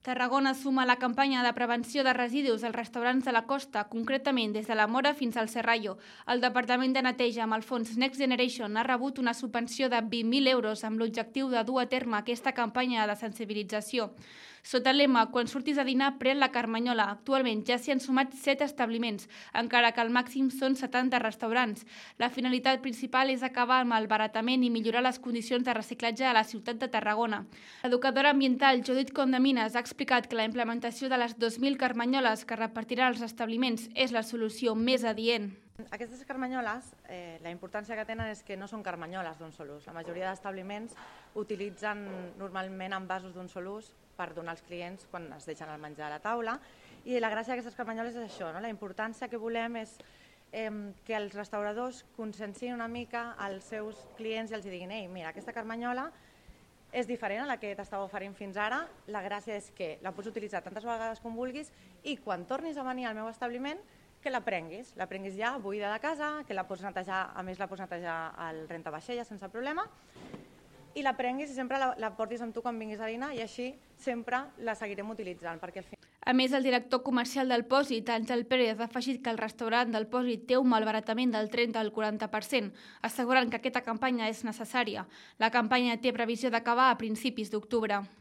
Tarragona suma la campanya de prevenció de residus als restaurants de la costa, concretament des de la Mora fins al Serrallo. El Departament de Neteja amb el fons Next Generation ha rebut una subvenció de 20.000 euros amb l'objectiu de dur a terme aquesta campanya de sensibilització. Sota el lema "Quan surtis a dinar, pren la Carmanyola", actualment ja s'hi han sumat 7 establiments, encara que el màxim són 70 restaurants. La finalitat principal és acabar amb el baratament i millorar les condicions de reciclatge a la ciutat de Tarragona. L'educadora ambiental Judit Condeminas ha explicat que la implementació de les 2.000 carmanyoles que repartiran els establiments és la solució més adient. Aquestes carmanyoles, la importància que tenen és que no són carmanyoles d'un sol ús. La majoria d'establiments utilitzen normalment envasos d'un sol ús per donar als clients quan es deixen el menjar a la taula, i la gràcia d'aquestes carmanyoles és això, no? La importància que volem és que els restauradors consciencien una mica als seus clients i els diguin: ei, mira, aquesta carmanyola és diferent a la que t'estava oferint fins ara, la gràcia és que la pots utilitzar tantes vegades com vulguis i quan tornis a venir al meu establiment que la prenguis ja buida de casa, que la pots netejar, a més la pots netejar al rentavaixelles sense problema, i la prenguis i sempre la portis amb tu quan vinguis a dinar, i així sempre la seguirem utilitzant. Perquè al final... A més, el director comercial del Pòsit, Àngel Pérez, ha afegit que el restaurant del Pòsit té un malbaratament del 30 al 40%, assegurant que aquesta campanya és necessària. La campanya té previsió d'acabar a principis d'octubre.